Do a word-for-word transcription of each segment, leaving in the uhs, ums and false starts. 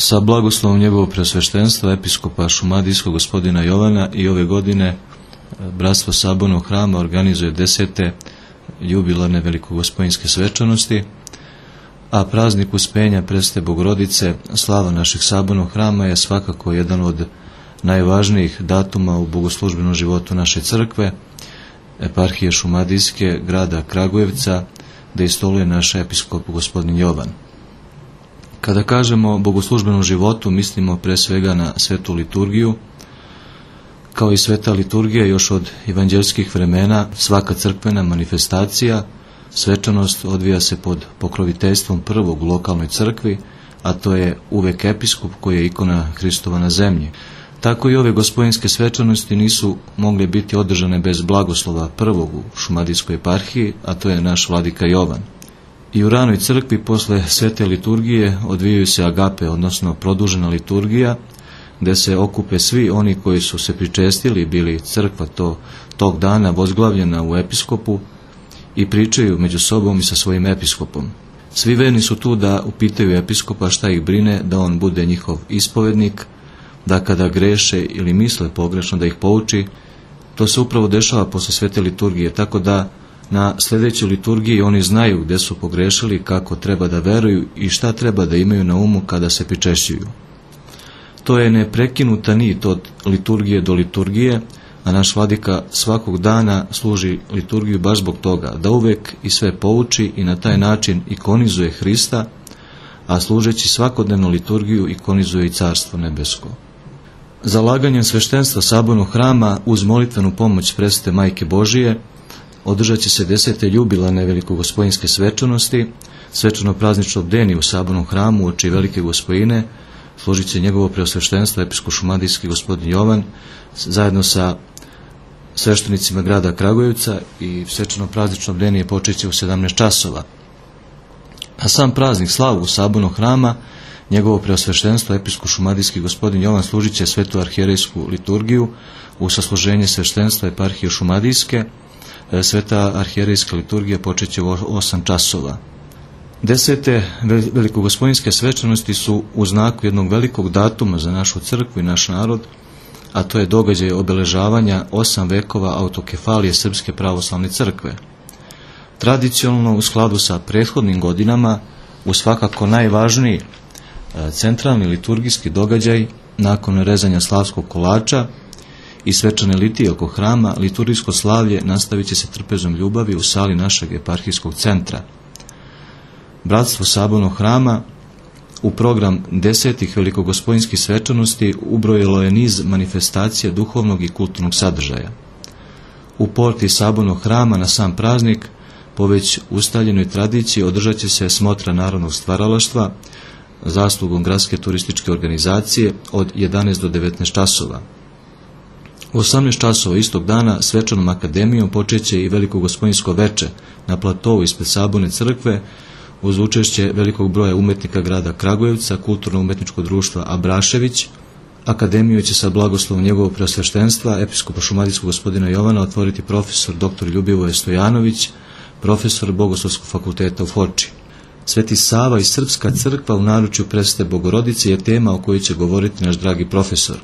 Sa blagoslovom njegovog preosveštenstva episkopa šumadijskog gospodina Jovana i ove godine Bratstvo sabornog hrama organizuje desete jubilarne velikogospojinske svečanosti, a praznik Uspenja Presvete Bogorodice, slava našeg sabornog hrama, je svakako jedan od najvažnijih datuma u bogoslužbenom životu naše crkve, eparhije šumadijske grada Kragujevca, da istoluje naš episkop gospodin Jovan. Kada kažemo o bogoslužbenom životu, mislimo pre svega na svetu liturgiju. Kao i sveta liturgija, još od evanđelskih vremena, svaka crkvena manifestacija, svečanost odvija se pod pokroviteljstvom prvog u lokalnoj crkvi, a to je uvek episkop koji je ikona Hristova na zemlji. Tako i ove gospojinske svečanosti nisu mogle biti održane bez blagoslova prvog u šumadijskoj eparhiji, a to je naš vladika Jovan. I u ranoj crkvi posle svete liturgije odvijaju se agape, odnosno produžena liturgija, gde se okupe svi oni koji su se pričestili, bili crkva to, tog dana vozglavljena u episkopu, i pričaju među sobom i sa svojim episkopom. Svi verni su tu da upitaju episkopa šta ih brine, da on bude njihov ispovednik, da kada greše ili misle pogrešno da ih pouči. To se upravo dešava posle svete liturgije, tako da na sljedećoj liturgiji oni znaju gde su pogrešili, kako treba da veruju i šta treba da imaju na umu kada se pričešćuju. To je neprekinuta nit od liturgije do liturgije, a naš vladika svakog dana služi liturgiju baš zbog toga, da uvek i sve pouči i na taj način ikonizuje Hrista, a služeći svakodnevnu liturgiju ikonizuje i Carstvo nebesko. Zalaganjem sveštenstva sabornog hrama uz molitvenu pomoć Presvete Majke Božije održat će se desete jubilarne velikogospojinske svečanosti, svečano praznično bdenje u sabornom hramu uoči Velike Gospojine. Služit će njegovo preosveštenstvo episkop šumadijski gospodin Jovan zajedno sa sveštenicima grada Kragujevca, i svečano praznično bdenje počet će u sedamnaest časova. A sam praznik slavu sabornog hrama, njegovo preosveštenstvo episkop šumadijski gospodin Jovan služit će svetu arhijerejsku liturgiju u sasluženje sveštenstva eparhije šumadijske. Sveta arhijerejska liturgija počet će u osam časova. Desete velikogospojinske svečanosti su u znaku jednog velikog datuma za našu crkvu i naš narod, a to je događaj obeležavanja osam vekova autokefalije Srpske pravoslavne crkve. Tradicionalno, u skladu sa prethodnim godinama, u svakako najvažniji centralni liturgijski događaj nakon rezanja slavskog kolača i svečane litije oko hrama, liturgijsko slavlje nastavit će se trpezom ljubavi u sali našeg eparhijskog centra. Bratstvo sabornog hrama u program desetih velikogospojinskih svečanosti ubrojilo je niz manifestacija duhovnog i kulturnog sadržaja. U porti sabornog hrama na sam praznik, po već ustaljenoj tradiciji, održat će se smotra narodnog stvaralaštva zaslugom gradske turističke organizacije od jedanaest do devetnaest časova. U osamnaest časova istog dana svečanom akademijom počeće i velikogospojinsko veče na platovu ispred saborne crkve uz učešće velikog broja umetnika grada Kragujevca, kulturno-umetničkog društva Abrašević. Akademiju će sa blagoslovom njegovog preosveštenstva episkopa šumadijskog gospodina Jovana otvoriti profesor doktor Ljubivoje Stojanović, profesor Bogoslovskog fakulteta u Foči. Sveti Sava i Srpska crkva u naručju Presvete Bogorodice je tema o kojoj će govoriti naš dragi profesor.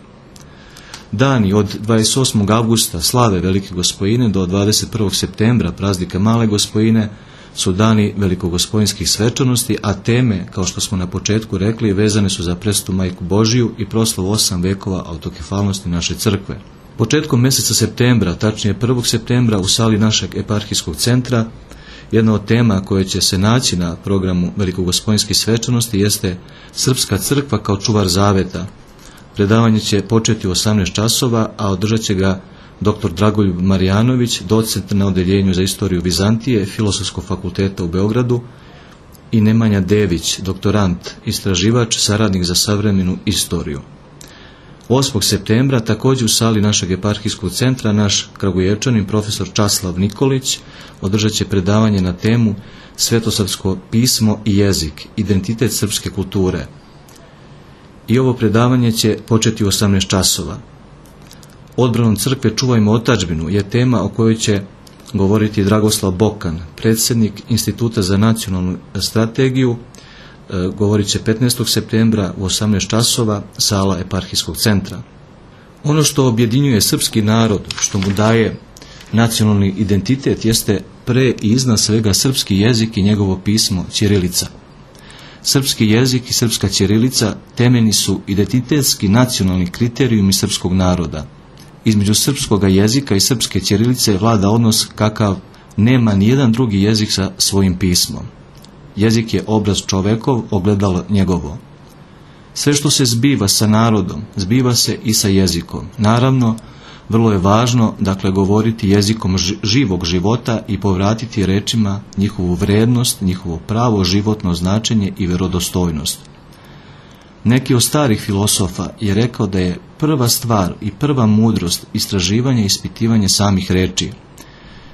Dani od dvadeset osmog avgusta slave Velike Gospojine do dvadeset prvog septembra praznika Male Gospojine su dani velikogospojinskih svečanosti, a teme, kao što smo na početku rekli, vezane su za Presvetu Majku Božiju i proslavu osam vekova autokefalnosti naše crkve. Početkom meseca septembra, tačnije prvog septembra, u sali našeg eparhijskog centra, jedna od tema koja će se naći na programu velikogospojinskih svečanosti jeste Srpska crkva kao čuvar zaveta. Predavanje će početi u osamnaest časova, a održat će ga doktor Dragoljub Marijanović, docent na odeljenju za istoriju Vizantije Filozofskog fakulteta u Beogradu, i Nemanja Dević, doktorant, istraživač, saradnik za savremenu istoriju. osmog septembra također u sali našeg eparhijskog centra naš Kragujevčanin profesor Časlav Nikolić održat će predavanje na temu Svetosavsko pismo i jezik, identitet srpske kulture. I ovo predavanje će početi u osamnaest časova. Odbranom crkve čuvajmo otadžbinu je tema o kojoj će govoriti Dragoslav Bokan, predsjednik Instituta za nacionalnu strategiju govorit će petnaestog septembra u osamnaest časova, sala Eparhijskog centra. Ono što objedinjuje srpski narod, što mu daje nacionalni identitet, jeste pre i iznad svega srpski jezik i njegovo pismo ćirilica. Srpski jezik i srpska ćirilica temeljni su identitetski nacionalni kriterijumi srpskog naroda. Između srpskog jezika i srpske ćirilice vlada odnos kakav nema nijedan drugi jezik sa svojim pismom. Jezik je obraz čovekov, ogledalo njegovo. Sve što se zbiva sa narodom, zbiva se i sa jezikom. Naravno, vrlo je važno, dakle, govoriti jezikom živog života i povratiti rečima njihovu vrednost, njihovo pravo životno značenje i vjerodostojnost. Neki od starih filosofa je rekao da je prva stvar i prva mudrost istraživanje i ispitivanje samih reči.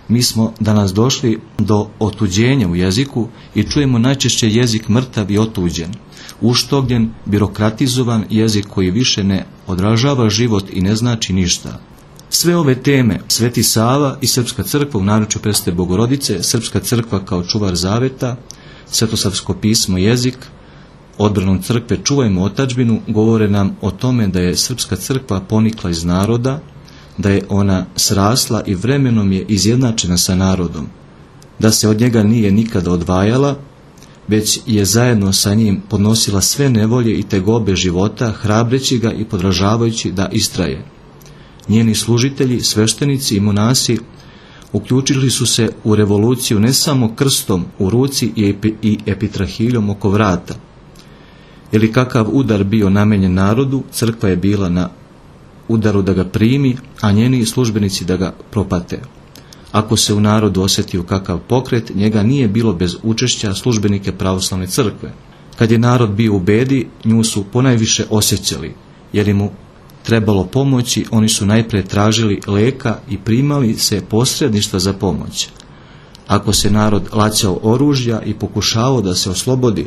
Mi smo danas došli do otuđenja u jeziku i čujemo najčešće jezik mrtav i otuđen, uštogljen, birokratizovan jezik koji više ne odražava život i ne znači ništa. Sve ove teme, Sveti Sava i Srpska crkva u naručju Presvete Bogorodice, Srpska crkva kao čuvar zaveta, Svetosavsko pismo jezik, odbranom crkve čuvajmo otadžbinu, govore nam o tome da je Srpska crkva ponikla iz naroda, da je ona srasla i vremenom je izjednačena sa narodom, da se od njega nije nikada odvajala, već je zajedno sa njim podnosila sve nevolje i tegobe života, hrabreći ga i podražavajući da istraje. Njeni služitelji, sveštenici i monasi uključili su se u revoluciju ne samo krstom u ruci i, epi, i epitrahiljom oko vrata. Ili kakav udar bio namenjen narodu, crkva je bila na udaru da ga primi, a njeni službenici da ga propate. Ako se u narodu osjetio kakav pokret, njega nije bilo bez učešća službenike pravoslavne crkve. Kad je narod bio u bedi, nju su ponajviše osjećali, jer im mu trebalo pomoći, oni su najprije tražili leka i primali se posredništva za pomoć. Ako se narod laćao oružja i pokušavao da se oslobodi,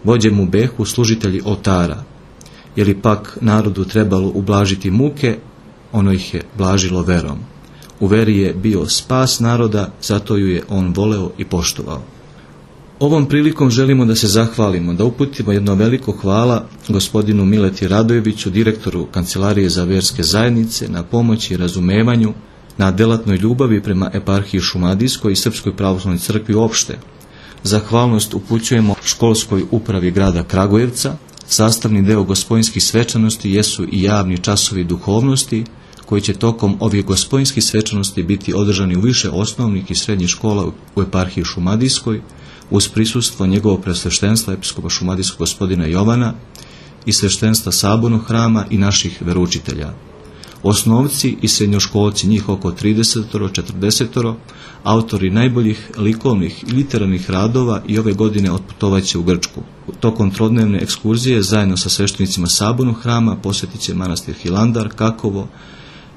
vođe mu behu služitelji oltara. Jer pak narodu trebalo ublažiti muke, ono ih je blažilo verom. U veri je bio spas naroda, zato ju je on voleo i poštovao. Ovom prilikom želimo da se zahvalimo, da uputimo jedno veliko hvala gospodinu Mileti Radojeviću, direktoru Kancelarije za verske zajednice, na pomoći i razumevanju, na delatnoj ljubavi prema eparhiji Šumadijskoj i Srpskoj pravoslavnoj crkvi uopšte. Zahvalnost upućujemo školskoj upravi grada Kragujevca. Sastavni deo gospojinskih svečanosti jesu i javni časovi duhovnosti, koji će tokom ovih gospojinskih svečanosti biti održani u više osnovnih i srednjih škola u eparhiji Šumadijskoj, uz prisustvo njegovog presveštenstva episkopa Šumadijskog gospodina Jovana i sveštenstva Sabornog hrama i naših veroučitelja. Osnovci i srednjoškolci, njih oko trideset do četrdeset, autori najboljih likovnih i literarnih radova i ove godine otputovaće u Grčku. Tokom trodnevne ekskurzije zajedno sa sveštenicima Sabornog hrama posjetit će manastir Hilandar, Kakovo,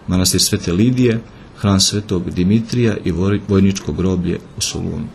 manastir Svete Lidije, hram Svetog Dimitrija i vojničko groblje u Solunu.